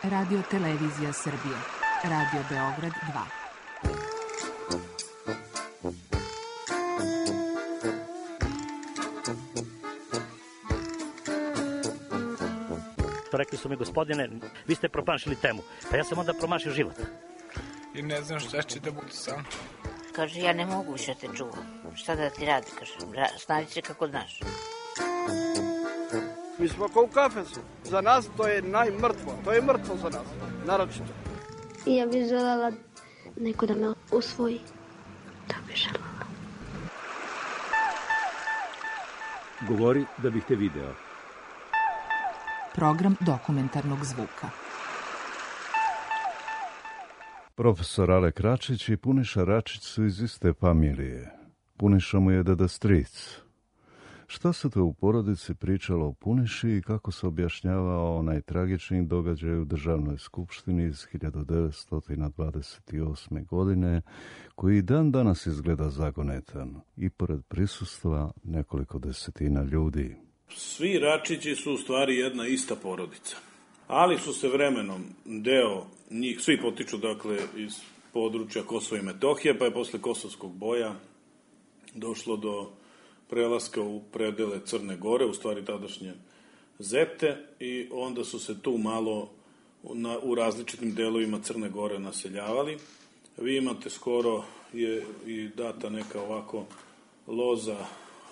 Radio Televizija Srbije. Radio Beograd 2. Rekli su mi, gospodine, vi ste promašili temu. Pa ja sam onda promašio život. I ne znam šta će da bude sam. Kaže, ja ne mogu više te čuvam. Šta da ti radi, kaže, snađi se kako znaš. Mi smo kao u kafesu. Za nas to je najmrtvo. To je mrtvo za nas, naročito. I ja bih želela neko da me usvoji. Da bih želela. Govori da bih te video. Program dokumentarnog zvuka. Profesor Alek Račić i Puniša Račić su iz iste familije. Puniša mu je deda stric. Šta se to u porodici pričalo o Puniši i kako se objašnjavao onaj tragični događaj u Državnoj skupštini iz 1928. godine, koji dan danas izgleda zagonetan i pored prisustva nekoliko desetina ljudi. Svi Račići su u stvari jedna ista porodica, ali su se vremenom deo njih, svi potiču dakle iz područja Kosova i Metohije, pa je posle Kosovskog boja došlo do prelaska u predele Crne Gore, u stvari tadašnje Zete, i onda su se tu malo u različitim delovima Crne Gore naseljavali. Vi imate skoro je i data neka ovako loza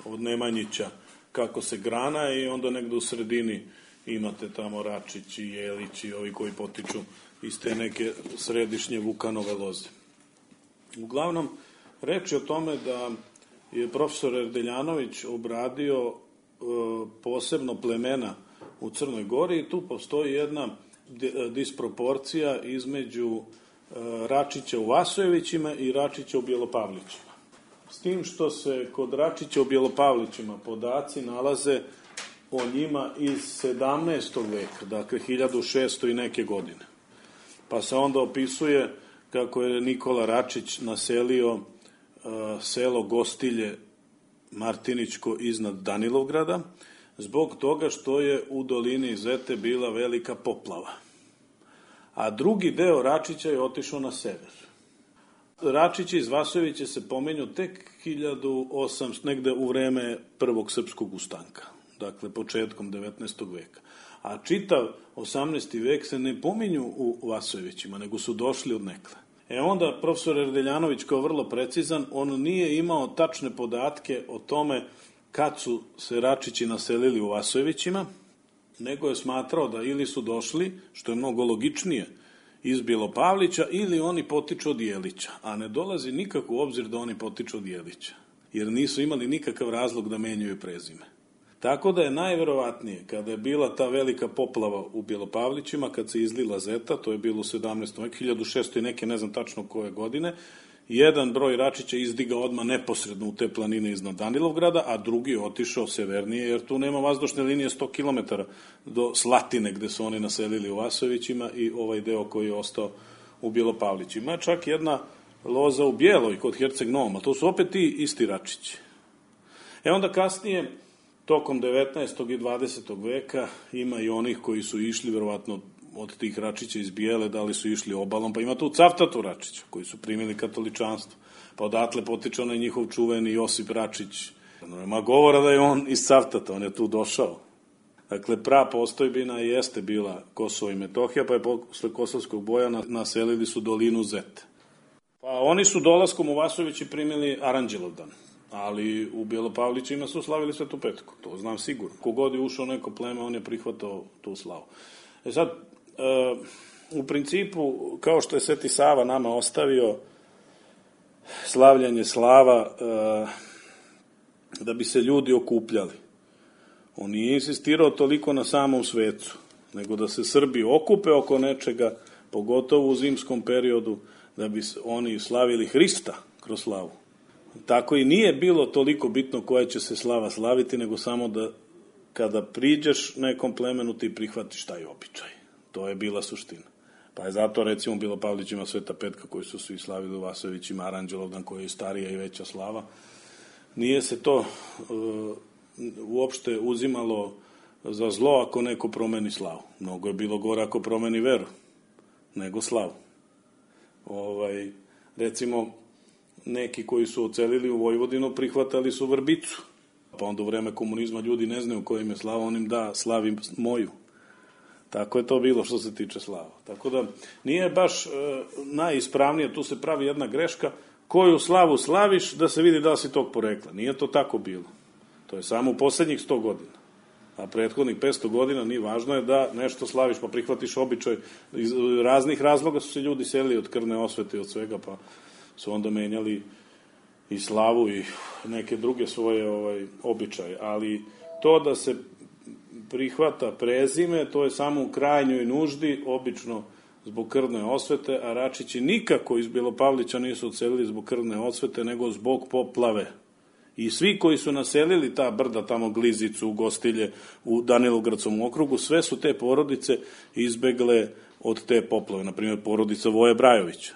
od Nemanjića kako se grana i onda negde u sredini imate tamo Račić i Jelić i ovi koji potiču iz te neke središnje Vukanove loze. Uglavnom, reč je o tome da je profesor Erdeljanović obradio posebno plemena u Crnoj Gori i tu postoji jedna disproporcija između Račića u Vasojevićima i Račića u Bjelopavlićima. S tim što se kod Račića u Bjelopavlićima podaci nalaze o njima iz 17. veka, dakle 1600 i neke godine. Pa se onda opisuje kako je Nikola Račić naselio selo Gostilje Martinićko iznad Danilovgrada, zbog toga što je u dolini Zete bila velika poplava. A drugi deo Račića je otišao na sever. Račići iz Vasojevića se pomenju tek 1800, negde u vreme prvog srpskog ustanka, dakle početkom 19. veka. A čitav 18. vek se ne pominju u Vasojevićima, nego su došli od nekle. Onda profesor Erdeljanović kao vrlo precizan, on nije imao tačne podatke o tome kad su se Račići naselili u Vasojevićima, nego je smatrao da ili su došli, što je mnogo logičnije, iz Bjelopavlića, ili oni potiču od Jelića, a ne dolazi nikako u obzir da oni potiču od Jelića, jer nisu imali nikakav razlog da menjaju prezime. Tako da je najverovatnije, kada je bila ta velika poplava u Bjelopavlićima, kad se izlila Zeta, to je bilo u 17. veku, 1600 i neke, ne znam tačno koje godine, jedan broj Račića izdigao odmah neposredno u te planine iznad Danilovgrada, a drugi je otišao severnije, jer tu nema vazdušne linije 100 km do Slatine, gde su oni naselili u Vasojevićima, i ovaj deo koji je ostao u Bjelopavlićima. Čak jedna loza u Bjeloj kod Herceg Novom, a to su opet ti isti Račići. Onda kasnije, tokom 19. i 20. veka, ima i onih koji su išli, verovatno od tih Račića iz Bijele, da li su išli obalom, pa ima tu Caftatu Račića, koji su primili katoličanstvo. Pa odatle potiče onaj njihov čuveni Josip Račić. Nema govora da je on iz Caftata, on je tu došao. Dakle, postojbina jeste bila Kosovo i Metohija, pa je posle Kosovskog boja naselili su dolinu Zete. Pa oni su dolaskom u Vasojevići primili Aranđelovdan, ali u Bjelopavlićima su slavili Svetu Petku, to znam sigurno. Kogod je ušao neko pleme, on je prihvatao tu slavu. Sad, u principu, kao što je Sveti Sava nama ostavio slavljanje slava da bi se ljudi okupljali, on nije insistirao toliko na samom svecu, nego da se Srbi okupe oko nečega, pogotovo u zimskom periodu, da bi oni slavili Hrista kroz slavu. Tako i nije bilo toliko bitno koja će se slava slaviti, nego samo da kada priđeš nekom plemenu ti prihvatiš taj običaj. To je bila suština. Pa je zato, recimo, Bjelopavlićima Sveta Petka, koji su svi slavili, u Vasojevićima Aranđelovdan, koji je starija i veća slava. Nije se to uopšte uzimalo za zlo ako neko promeni slavu. Mnogo je bilo gore ako promeni veru nego slavu. Recimo, neki koji su ocelili u Vojvodinu prihvatali su vrbicu. Pa onda u vreme komunizma ljudi ne znaju kojim je slava, on im da slavi moju. Tako je to bilo što se tiče slava. Tako da nije baš najispravnije, tu se pravi jedna greška, koju slavu slaviš da se vidi da li si tog porekla. Nije to tako bilo. To je samo u poslednjih 100 godina. A prethodnih 500 godina nije važno je da nešto slaviš, pa prihvatiš običaj. Iz raznih razloga su se ljudi selili od krvne osvete i od svega, pa su onda menjali i slavu i neke druge svoje običaje. Ali to da se prihvata prezime, to je samo u krajnjoj nuždi, obično zbog krvne osvete, a Račići nikako iz Belopavlića nisu odselili zbog krvne osvete, nego zbog poplave. I svi koji su naselili ta brda, tamo Glizicu, Gostilje, u Danilogradskom okrugu, sve su te porodice izbegle od te poplave. Naprimjer, porodica Voje Brajovića.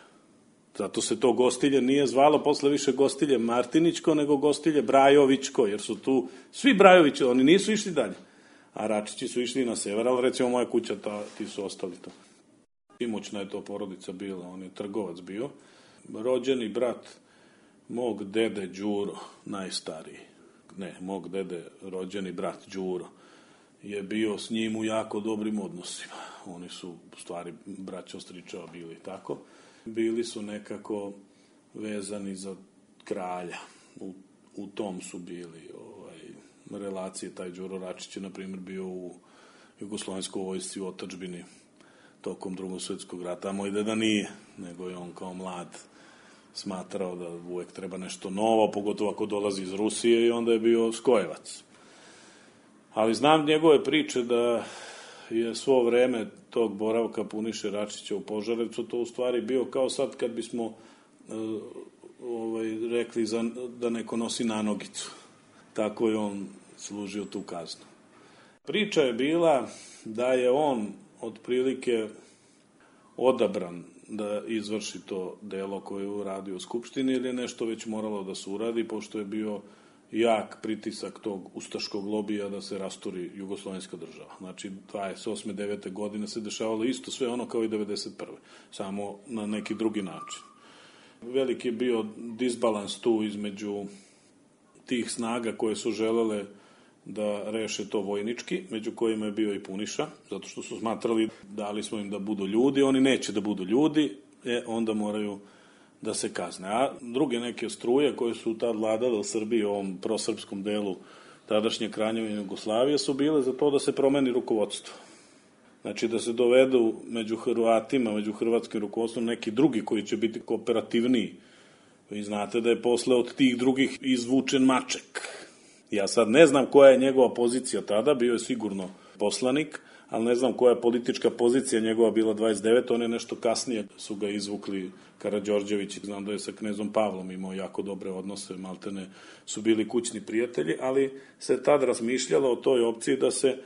Zato se to Gostilje nije zvalo posle više Gostilje Martinićko, nego Gostilje Brajovićko, jer su tu svi Brajovići, oni nisu išli dalje. A Račići su išli na sever, ali recimo moja kuća, ti su ostali to. Imućna je to porodica bila, on je trgovac bio. Rođeni brat mog dede Đuro, najstariji, mog dede rođeni brat Đuro, je bio s njim u jako dobrim odnosima. Oni su, u stvari, braćo stričeva bili tako. Bili su nekako vezani za kralja. U tom su bili relacije. Taj Đuro Račić je, na primjer, bio u Jugoslovenskoj vojsci u otadžbini tokom Drugog svjetskog rata. A moj deda nije, nego je on kao mlad smatrao da uvek treba nešto novo, pogotovo ako dolazi iz Rusije, i onda je bio skojevac. Ali znam njegove priče da je svo vreme tog boravka Puniše Račića u Požarevcu to u stvari bio kao sad kad bismo rekli da neko nosi nanogicu. Tako je on služio tu kaznu. Priča je bila da je on otprilike odabran da izvrši to delo koje je uradio u Skupštini, ili je nešto već moralo da se uradi, pošto je bio jak pritisak tog ustaškog lobija da se rasturi jugoslovenska država. Znači, 28. 9. godine se dešavalo isto sve ono kao i 91. Samo na neki drugi način. Veliki je bio disbalans tu između tih snaga koje su želele da reše to vojnički, među kojima je bio i Puniša, zato što su smatrali, dali smo im da budu ljudi, oni neće da budu ljudi, onda moraju da se kazne. A druge neke struje koje su tad vladale u Srbiji, u ovom prosrpskom delu tadašnje Kraljevine Jugoslavije, su bile za to da se promeni rukovodstvo. Znači da se dovedu među Hrvatima, među hrvatskim rukovodstvom neki drugi koji će biti kooperativniji. Vi znate da je posle od tih drugih izvučen Maček. Ja sad ne znam koja je njegova pozicija tada, bio je sigurno poslanik, ali ne znam koja je politička pozicija njegova bila 29, on je nešto kasnije su ga izvukli Karađorđević, znam da je sa knezom Pavlom imao jako dobre odnose, maltene su bili kućni prijatelji, ali se tad razmišljalo o toj opciji da se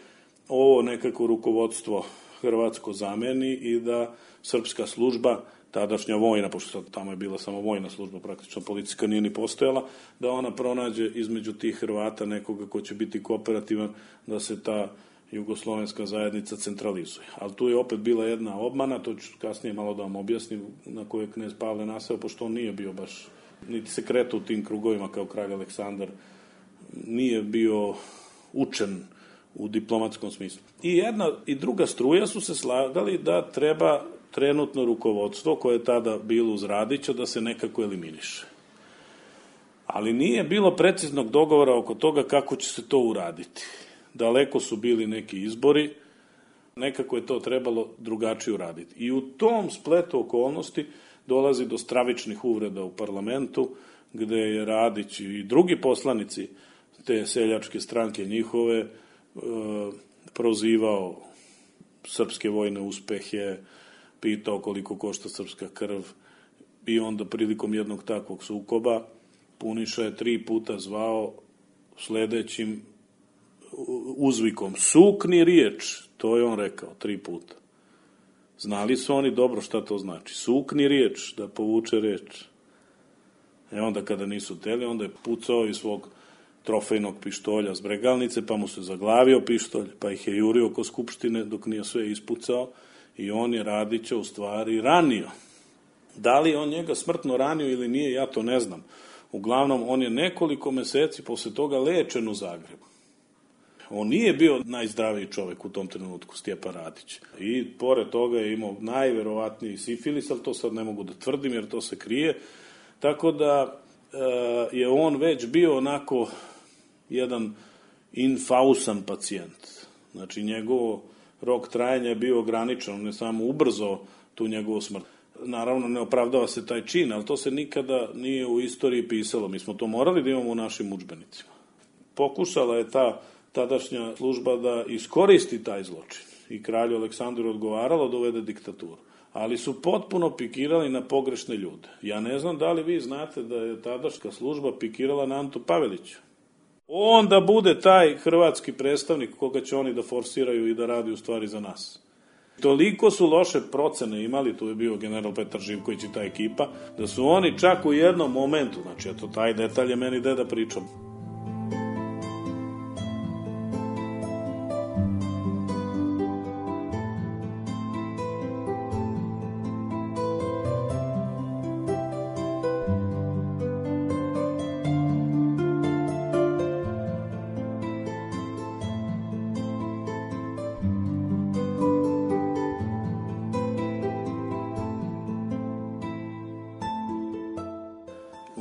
ovo nekako rukovodstvo hrvatsko zameni i da srpska služba, tadašnja vojna, pošto tamo je bila samo vojna služba, praktično policijska nije ni postojala, da ona pronađe između tih Hrvata nekoga ko će biti kooperativan, da se ta jugoslovenska zajednica centralizuje. Ali tu je opet bila jedna obmana, to ću kasnije malo da vam objasnim, na koje je knez Pavle naseo, pošto on nije bio baš, niti se kretao u tim krugovima kao kralj Aleksandar, nije bio učen u diplomatskom smislu. I jedna i druga struja su se slagali da treba trenutno rukovodstvo koje je tada bilo uz Radića da se nekako eliminiše. Ali nije bilo preciznog dogovora oko toga kako će se to uraditi. Daleko su bili neki izbori, nekako je to trebalo drugačije uraditi. I u tom spletu okolnosti dolazi do stravičnih uvreda u parlamentu, gde je Radić i drugi poslanici te seljačke stranke njihove prozivao srpske vojne uspehe, pitao koliko košta srpska krv, i onda prilikom jednog takvog sukoba Puniša je 3 puta zvao sledećim uzvikom: sukni riječ, to je on rekao 3 puta. Znali su oni dobro šta to znači. Sukni riječ, da povuče reč. Onda kada nisu teli, onda je pucao iz svog trofejnog pištolja s Bregalnice, pa mu se zaglavio pištolj, pa ih je jurio oko Skupštine dok nije sve ispucao i on je Radića u stvari ranio. Da li on njega smrtno ranio ili nije, ja to ne znam. Uglavnom, on je nekoliko meseci posle toga lečen u Zagrebu. On nije bio najzdraviji čovek u tom trenutku, Stjepan Radić. I pored toga je imao najverovatniji sifilis, ali to sad ne mogu da tvrdim jer to se krije. Tako da je on već bio onako jedan infausan pacijent. Znači, njegov rok trajanja je bio ograničen, on je samo ubrzao tu njegovu smrt. Naravno, ne opravdava se taj čin, ali to se nikada nije u istoriji pisalo. Mi smo to morali da imamo u našim udžbenicima. Pokušala je ta tadašnja služba da iskoristi taj zločin i kralju Aleksandru odgovaralo da uvede diktaturu. Ali su potpuno pikirali na pogrešne ljude. Ja ne znam da li vi znate da je tadašnja služba pikirala na Antu Paveliću. On da bude taj hrvatski predstavnik koga će oni da forsiraju i da radi u stvari za nas. Toliko su loše procene imali, tu je bio general Petar Živković i ta ekipa, da su oni čak u jednom momentu, znači eto taj detalj je meni deda pričao.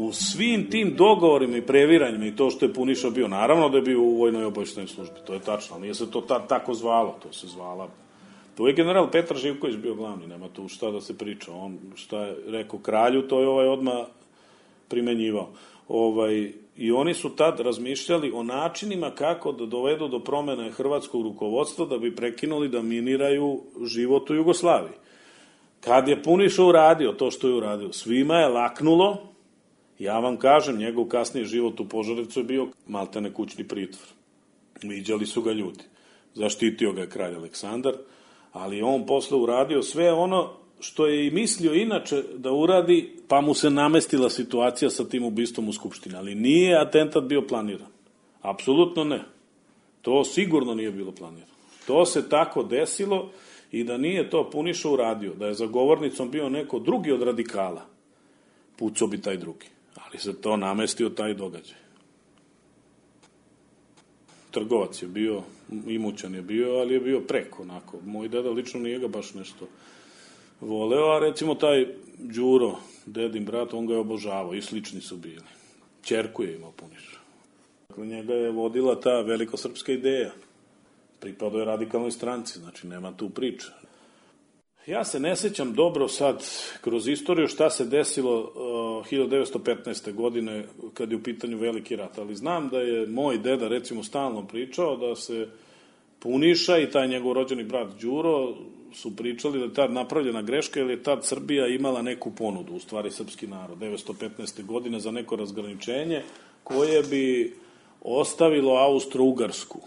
U svim tim dogovorima i previranjima i to što je Puniša bio, naravno da je bio u vojnoj obaveštajnoj službi, to je tačno, ali nije se to tako zvalo, to se zvala. To je general Petar Živković bio glavni, nema tu šta da se priča, on šta je rekao kralju, to je odmah primenjivao. I oni su tad razmišljali o načinima kako da dovedu do promene hrvatskog rukovodstva da bi prekinuli da miniraju život u Jugoslaviji. Kad je Puniša uradio to što je uradio, svima je laknulo. Ja vam kažem, njegov kasniji život u Požarevcu je bio maltene kućni pritvor. Viđali su ga ljudi. Zaštitio ga je kralj Aleksandar, ali on posle uradio sve ono što je i mislio inače da uradi, pa mu se namestila situacija sa tim ubistvom u Skupštini. Ali nije atentat bio planiran. Apsolutno ne. To sigurno nije bilo planirano. To se tako desilo i da nije to Puniša uradio, da je za govornicom bio neko drugi od radikala, pucao bi taj drugi. Ali se to namestio taj događaj. Trgovac je bio, imućan je bio, ali je bio preko, onako. Moj deda lično nije ga baš nešto voleo, a recimo taj Đuro, dedin brat, on ga je obožavao i slični su bili. Ćerku je imao Puniša. Dakle, njega je vodila ta velikosrpska ideja. Pripadao je radikalnoj stranci, znači nema tu priče. Ja se ne sećam dobro sad kroz istoriju šta se desilo 1915. godine kad je u pitanju Veliki rat, ali znam da je moj deda recimo stalno pričao da se Puniša i taj njegov rođeni brat Đuro su pričali da je tad napravljena greška jer je tad Srbija imala neku ponudu, u stvari srpski narod, 1915. godine za neko razgraničenje koje bi ostavilo Austro-Ugarsku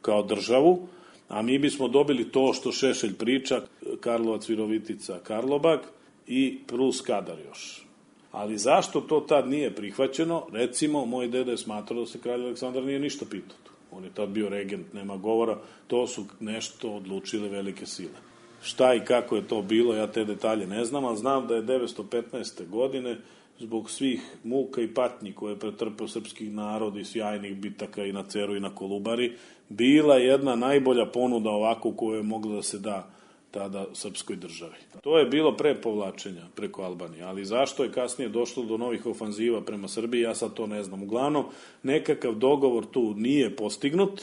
kao državu, a mi bismo dobili to što Šešelj priča, Karlovac, Virovitica, Karlobag i Prus Kadar još. Ali zašto to tad nije prihvaćeno? Recimo, moj deda je smatrao da se kralj Aleksandar nije ništa pitao. On je tad bio regent, nema govora, to su nešto odlučile velike sile. Šta i kako je to bilo, ja te detalje ne znam, ali znam da je 1915. godine zbog svih muka i patnji koje je pretrpeo srpski narod i sjajnih bitaka i na Ceru i na Kolubari, bila jedna najbolja ponuda ovako koju je mogla da se da tada srpskoj državi. To je bilo pre povlačenja preko Albanije, ali zašto je kasnije došlo do novih ofanziva prema Srbiji, ja sad to ne znam. Uglavnom, nekakav dogovor tu nije postignut,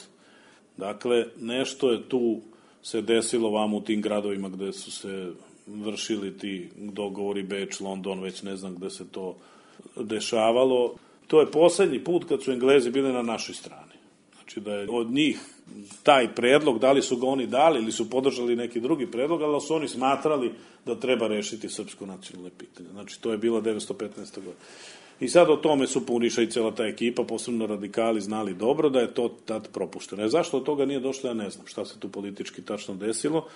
dakle, nešto je tu se desilo vam u tim gradovima gde su se vršili ti dogovori, Beč, London, već ne znam gde se to dešavalo. To je poslednji put kad su Englezi bili na našoj strani. Znači da je od njih taj predlog, da li su ga oni dali ili su podržali neki drugi predlog, ali su oni smatrali da treba rešiti srpsko nacionalno pitanje. Znači to je bilo 1915. godine. I sad o tome su Puniša i cela ta ekipa, posebno radikali, znali dobro da je to tad propušteno. Zašto od toga nije došlo, ja ne znam šta se tu politički tačno desilo.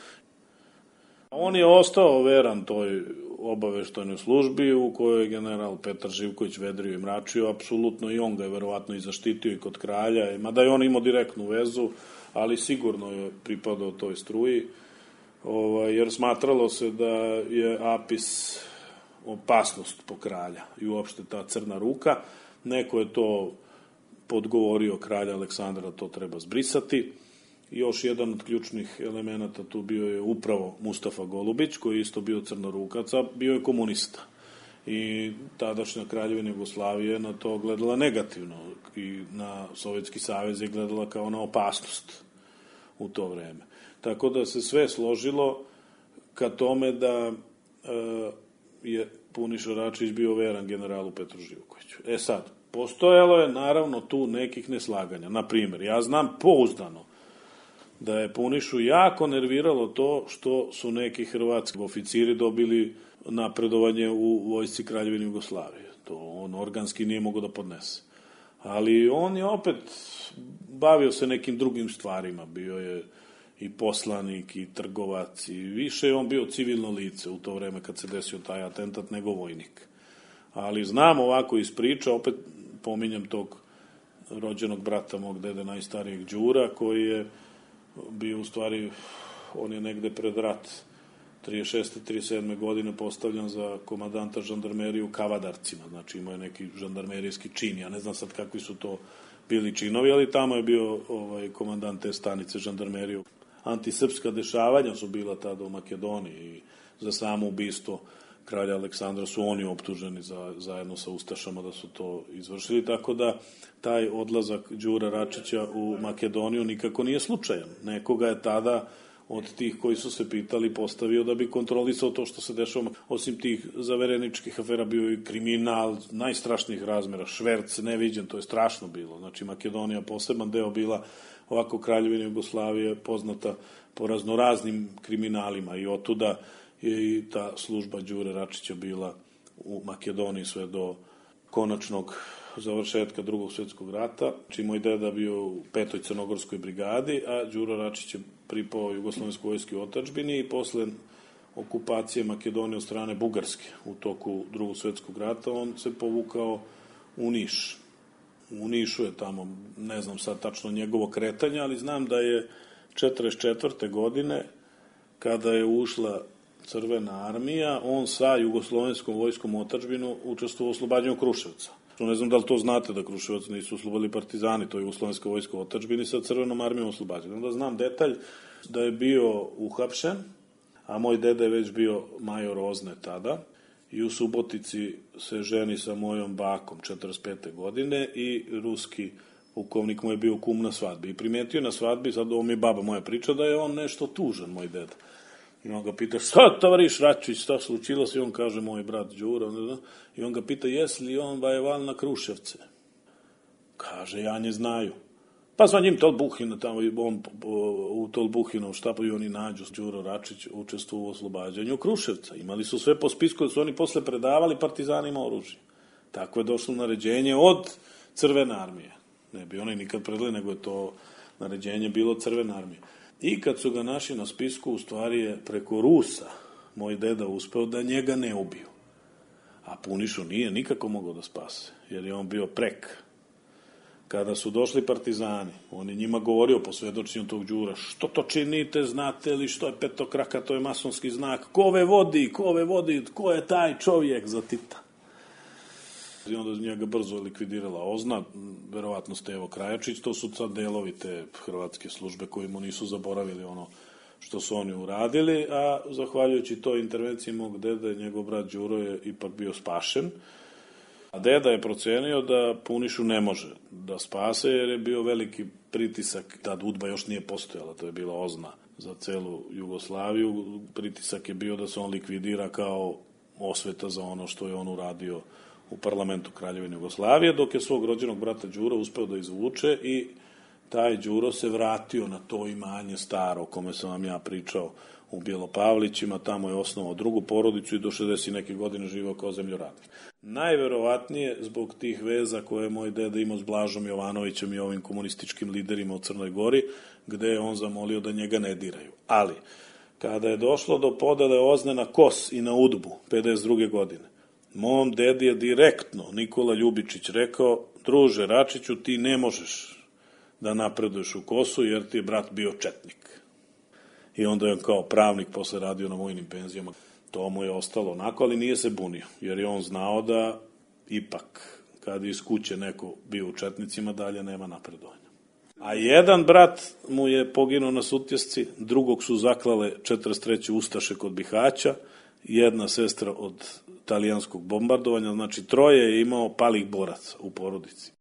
On je ostao veran toj obaveštajnoj službi u kojoj je general Petar Živković vedrio i mračio, apsolutno i on ga je verovatno i zaštitio i kod kralja, mada je on imao direktnu vezu, ali sigurno je pripadao toj struji, jer smatralo se da je Apis opasnost po kralja i uopšte ta crna ruka. Neko je to podgovorio kralja Aleksandra, to treba zbrisati. Još jedan od ključnih elemenata tu bio je upravo Mustafa Golubić, koji je isto bio crnorukaca, bio je komunista. I tadašnja kraljevina Jugoslavije na to gledala negativno i na Sovjetski savez je gledala kao na opasnost u to vreme. Tako da se sve složilo ka tome da je Puniša Račić bio veran generalu Petru Živkoviću. Sad, postojalo je naravno tu nekih neslaganja. Naprimjer, ja znam pouzdano da je Punišu jako nerviralo to što su neki hrvatski oficiri dobili napredovanje u vojsci Kraljevine Jugoslavije. To on organski nije mogao da podnese. Ali on je opet bavio se nekim drugim stvarima. Bio je i poslanik, i trgovac, i više je on bio civilno lice u to vreme kad se desio taj atentat nego vojnik. Ali znam ovako iz priča, opet pominjem tog rođenog brata mog dede najstarijeg Đura, koji je bio u stvari, on je negde pred rat 36. 37. godine postavljan za komandanta žandarmerije u Kavadarcima, znači imao je neki žandarmerijski čin, ja ne znam sad kakvi su to bili činovi, ali tamo je bio komandant te stanice žandarmerije. Antisrpska dešavanja su bila tada u Makedoniji i za samo ubistvo kralja Aleksandra su oni optuženi zajedno sa ustašama da su to izvršili, tako da taj odlazak Đura Račića u Makedoniju nikako nije slučajan. Nekoga je tada od tih koji su se pitali postavio da bi kontrolisao to što se dešava. Osim tih zavereničkih afera bio i kriminal najstrašnijih razmera, šverc neviđen, to je strašno bilo. Znači Makedonija poseban deo bila ovako Kraljevina Jugoslavije poznata po raznoraznim kriminalima i otuda je i ta služba Đure Račića bila u Makedoniji sve do konačnog završetka Drugog svjetskog rata. Znači moj deda bio u 5. crnogorskoj brigadi, a Đuro Račić je pripao Jugoslovenskoj vojski u otadžbini i posle okupacije Makedonije od strane Bugarske u toku Drugog svjetskog rata on se povukao u Niš. U Nišu je tamo, ne znam sad tačno njegovo kretanje, ali znam da je 44. godine kada je ušla Crvena armija, on sa Jugoslovenskom vojskom u otadžbinu učestvovao u oslobađanju Kruševca. Ne znam da li to znate da Kruševac nisu oslobodili partizani, to je Jugoslovenska vojska u otadžbini sa Crvenom armijom oslobađana. Onda znam detalj da je bio uhapšen, a moj deda je već bio major Ozne tada i u Subotici se ženi sa mojom bakom 45. godine i ruski pukovnik mu je bio kum na svadbi. I primetio na svadbi, sad ovo mi je baba moja priča, da je on nešto tužan, moj deda. I on ga pita, šta tovariš Račić, šta slučilo se? I on kaže, moj brat Đuro. I on ga pita, jes li on vajeval na Kruševce? Kaže, ja ne znaju. Pa zva njim Tolbuhina, tamo on u Tolbuhinom štapu i oni nađu Đuro Račić učestvovao u oslobađanju Kruševca. Imali su sve po spisku da su oni posle predavali partizanima oružje. Tako je došlo naređenje od Crvene armije. Ne bi oni nikad predali, nego je to naređenje bilo Crvene armije. I kad su ga našli na spisku, u stvari je preko Rusa moj deda uspeo da njega ne ubiju. A Punišu nije nikako mogao da spase, jer je on bio prek. Kada su došli partizani, on je njima govorio po svedočenju tog Đura, što to činite, znate li što je petokraka, to je masonski znak, ko ove vodi, ko je taj čovjek za Tita. I onda njega brzo likvidirala Ozna, verovatno Stevo Krajačić, to su sad delovi te hrvatske službe koji mu nisu zaboravili ono što su oni uradili, a zahvaljujući toj intervenciji mog deda, njegov brat Đuro je ipak bio spašen. A deda je procenio da Punišu ne može da spase, jer je bio veliki pritisak, tad UDBA još nije postojala, to je bila Ozna za celu Jugoslaviju, pritisak je bio da se on likvidira kao osveta za ono što je on uradio u parlamentu Kraljevine Jugoslavije, dok je svog rođenog brata Đura uspeo da izvuče i taj Đuro se vratio na to imanje staro, o kome sam vam ja pričao u Bjelopavlićima, tamo je osnovao drugu porodicu i do 60 neke godine živao kao zemljoradnik. Najverovatnije zbog tih veza koje je moj deda imao s Blažom Jovanovićem i ovim komunističkim liderima u Crnoj Gori, gde je on zamolio da njega ne diraju. Ali, kada je došlo do podele OZNE na Kos i na Udbu 52. godine, mom dedi je direktno Nikola Ljubičić rekao: druže Račiću, ti ne možeš da napreduješ u Kosu jer ti je brat bio četnik. I onda je on kao pravnik posle radio na vojnim penzijama. To mu je ostalo onako, ali nije se bunio, jer je on znao da ipak, kad iz kuće neko bio u četnicima, dalje nema napredovanja. A jedan brat mu je poginuo na Sutjesci, drugog su zaklale 43. Ustaše kod Bihaća, jedna sestra od talijanskog bombardovanja, znači 3 je imao palih boraca u porodici.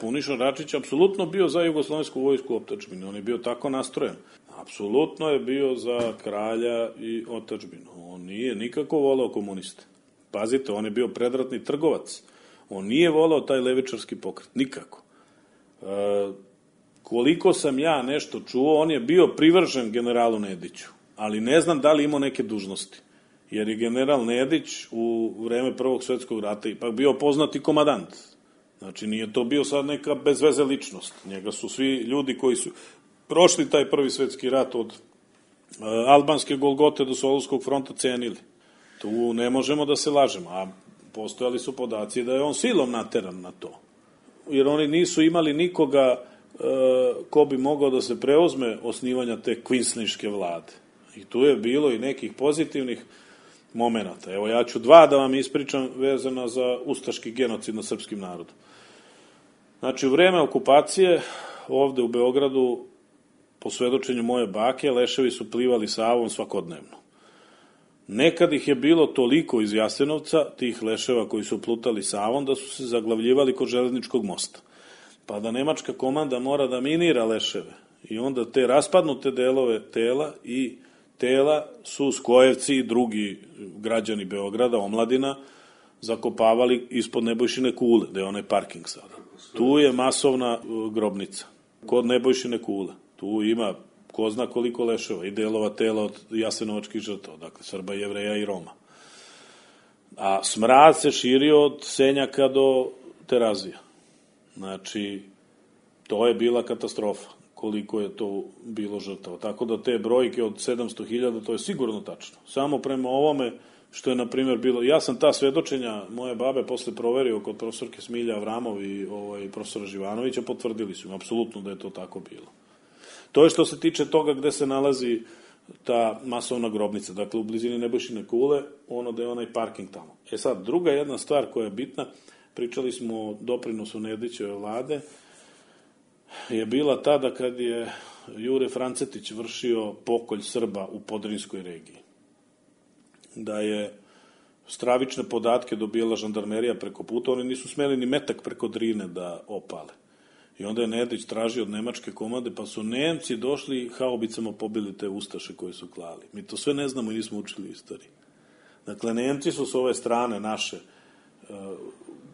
Puniša Račić apsolutno bio za jugoslovensku vojsku u otadžbini, on je bio tako nastrojen. Apsolutno je bio za kralja i otadžbinu. On nije nikako voleo komuniste. Pazite, on je bio predratni trgovac. On nije voleo taj levičarski pokret, nikako. Koliko sam ja nešto čuo, on je bio privržen generalu Nediću, ali ne znam da li imao neke dužnosti. Jer je general Nedić u vreme Prvog svjetskog rata ipak bio poznati komadant. Znači, nije to bio sad neka bezveze ličnost. Njega su svi ljudi koji su prošli taj Prvi svjetski rat od albanske Golgote do Solunskog fronta cenili. Tu ne možemo da se lažemo, a postojali su podaci da je on silom nateran na to. Jer oni nisu imali nikoga ko bi mogao da se preuzme osnivanja te kvinsliške vlade. I tu je bilo i nekih pozitivnih momenata. Evo, ja ću 2 da vam ispričam vezano za ustaški genocid na srpskim narodom. Znači, u vreme okupacije, ovde u Beogradu, po svedočenju moje bake, leševi su plivali Savom svakodnevno. Nekad ih je bilo toliko iz Jasenovca, tih leševa koji su plutali Savom, da su se zaglavljivali kod železničkog mosta. Pa da nemačka komanda mora da minira leševe. I onda te raspadnute delove tela i tela su Skojevci i drugi građani Beograda, omladina, zakopavali ispod Nebojšine kule, da je onaj parking sada. Tu je masovna grobnica, kod Nebojšine kule. Tu ima ko zna koliko leševa i delova tela od jasenovačkih žrtava, dakle Srba, Jevreja i Roma. A smrad se širio od Senjaka do Terazija. Znači, to je bila katastrofa, koliko je to bilo žrtava. Tako da te brojke od 700.000, to je sigurno tačno. Samo prema ovome što je, na primjer, bilo... Ja sam ta svedočenja moje babe posle proverio kod profesorke Smilja Avramov i profesora Živanovića, potvrdili su im apsolutno da je to tako bilo. To je što se tiče toga gde se nalazi ta masovna grobnica, dakle u blizini Nebojšine kule, ono da je onaj parking tamo. E sad, druga jedna stvar koja je bitna, pričali smo o doprinosu Nedićeve vlade, je bila tada kad je Jure Francetić vršio pokolj Srba u Podrinjskoj regiji. Da je stravične podatke dobijala žandarmerija preko puta, oni nisu smeli ni metak preko Drine da opale. I onda je Nedić tražio od nemačke komande, pa su Nemci došli i haubicama pobili te ustaše koje su klali. Mi to sve ne znamo i nismo učili istoriji. Dakle, Nemci su s ove strane naše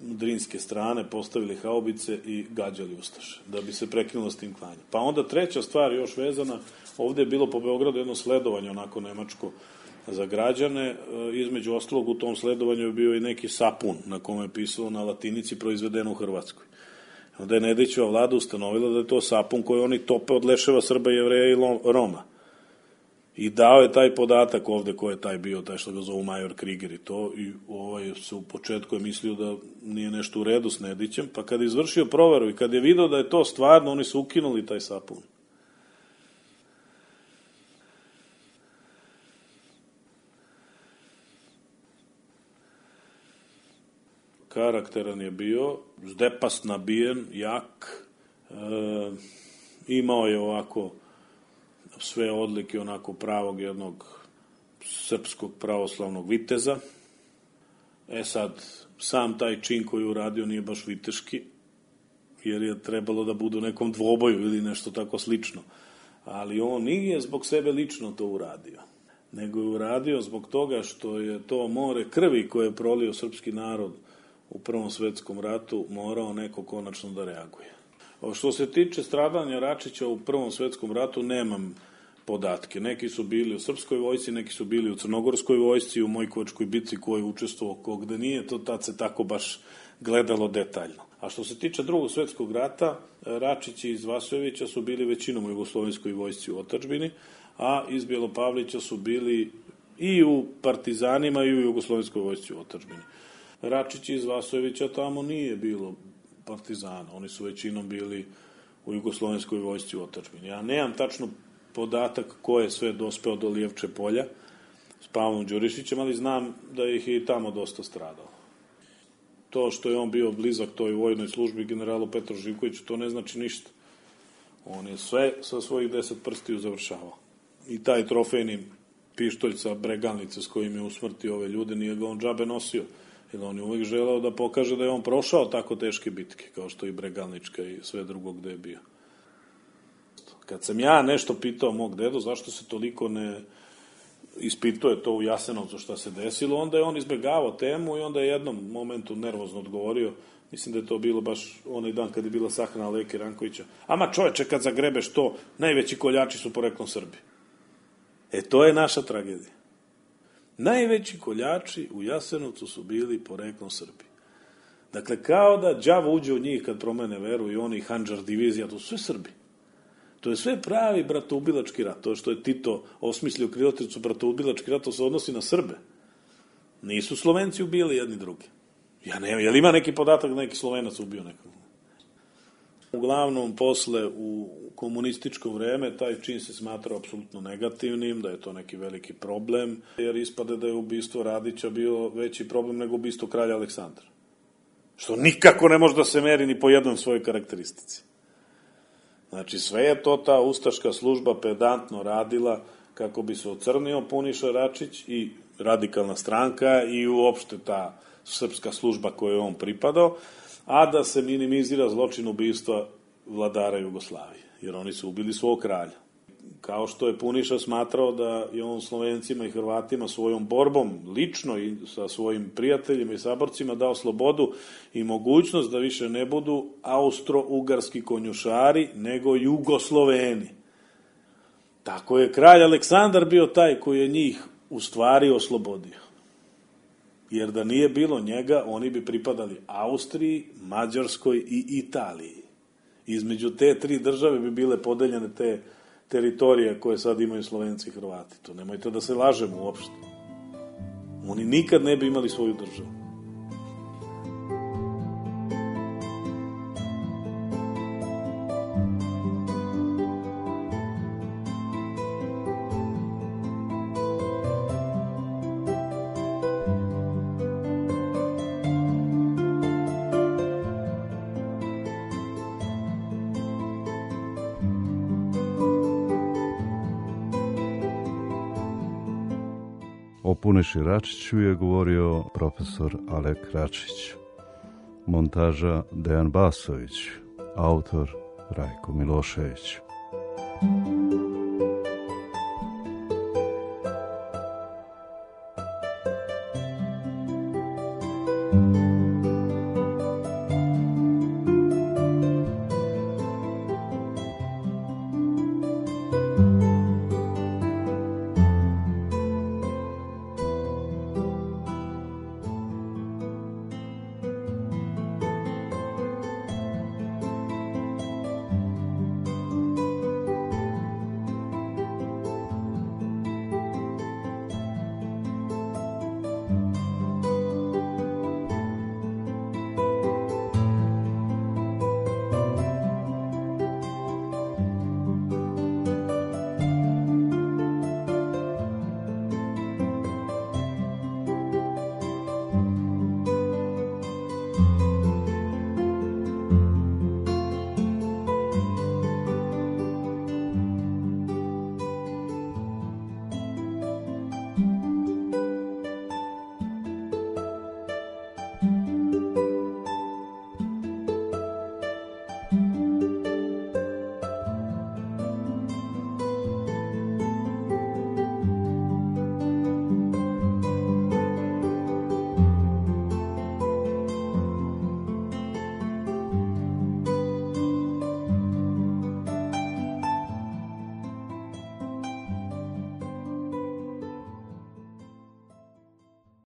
drinske strane postavili haubice i gađali ustaše, da bi se prekinulo s tim klanjem. Pa onda treća stvar još vezana, ovde je bilo po Beogradu jedno sledovanje onako nemačko za građane, između ostalog u tom sledovanju je bio i neki sapun na kome je pisalo na latinici proizvedeno u Hrvatskoj. Onda je Nedićeva vlada ustanovila da je to sapun koji oni tope od leševa Srba, Jevreja i Roma. I dao je taj podatak ovde ko je taj bio, taj što ga zovu major Kriger i to, i se u početku je mislio da nije nešto u redu s Nedićem, pa kad je izvršio proveru i kad je video da je to stvarno, oni su ukinuli taj sapun. Karakteran je bio, zdepast nabijen, jak, imao je ovako sve odlike onako pravog jednog srpskog pravoslavnog viteza. E sad, sam taj čin koji uradio nije baš viteški, jer je trebalo da bude u nekom dvoboju ili nešto tako slično. Ali on nije zbog sebe lično to uradio. nego je uradio zbog toga što je to more krvi koje je prolio srpski narod u Prvom svetskom ratu morao neko konačno da reaguje. Što se tiče stradanja Račića u Prvom svetskom ratu, nemam podatke. Neki su bili u srpskoj vojsci, neki su bili u crnogorskoj vojsci, u Mojkovačkoj bitci koji je učestvovao, kogde nije, to tad se tako baš gledalo detaljno. A što se tiče Drugog svetskog rata, Račići iz Vasojevića su bili većinom u jugoslovenskoj vojsci u otadžbini, a iz Bjelopavlića su bili i u partizanima i u jugoslovenskoj vojsci u otadžbini. Račići iz Vasojevića tamo nije bilo partizana, oni su većinom bili u jugoslovenskoj vojsci u otadžbini. Ja nemam tačno podatak ko je sve dospeo do Lijevče polja s Pavlom Đurišićem, ali znam da ih je i tamo dosta stradalo. To što je on bio blizak toj vojnoj službi generalu Petru Živkoviću, to ne znači ništa. On je sve sa svojih 10 prstiju završavao. I taj trofejni pištolj sa Bregalnice s kojim je usmrtio ove ljude, nije ga on džabe nosio. Jer on je uvijek želeo da pokaže da je on prošao tako teške bitke, kao što i Bregalnička i sve drugo gde je bio. Kad sam ja nešto pitao mog dedu zašto se toliko ne ispituje to u Jasenovcu šta se desilo, onda je on izbegavao temu i onda je jednom momentu nervozno odgovorio, mislim da je to bilo baš onaj dan kad je bila sahrana Leke Rankovića, ama čoveče, kad zagrebeš to, najveći koljači su poreklom Srbi. To je naša tragedija. Najveći koljači u Jasenovcu su bili poreklom Srbi. Dakle, kao da đavo uđe u njih kad promene veru i oni Handžar divizija, to su sve Srbi. To je sve pravi bratoubilački rat. To što je Tito osmislio krilatricu bratoubilački rat, to se odnosi na Srbe. Nisu Slovenci ubijali jedni drugi. Ja ne, je li ima neki podatak da neki Slovenac ubio nekog? Uglavnom, posle u komunističko vreme, taj čin se smatrao apsolutno negativnim, da je to neki veliki problem, jer ispade da je ubistvo Radića bio veći problem nego ubistvo kralja Aleksandra. Što nikako ne može da se meri ni po jednoj svojoj karakteristici. Znači, sve je to ta ustaška služba pedantno radila kako bi se ocrnio Puniša Račić i radikalna stranka i uopšte ta srpska služba kojoj je on pripadao, a da se minimizira zločin ubistva vladara Jugoslavije, jer oni su ubili svog kralja. Kao što je Puniša smatrao da je on Slovencima i Hrvatima svojom borbom, lično i sa svojim prijateljima i saborcima, dao slobodu i mogućnost da više ne budu austro-ugarski konjušari, nego Jugosloveni. Tako je kralj Aleksandar bio taj koji je njih u stvari oslobodio. Jer da nije bilo njega, oni bi pripadali Austriji, Mađarskoj i Italiji. Između te tri države bi bile podeljene te teritorije koje sad imaju Slovenci i Hrvati. To nemojte da se lažemo uopšte. Oni nikad ne bi imali svoju državu. O Puneši Račiću je govorio profesor Alek Račić. Montaža Dejan Basović. Autor Rajko Milošević.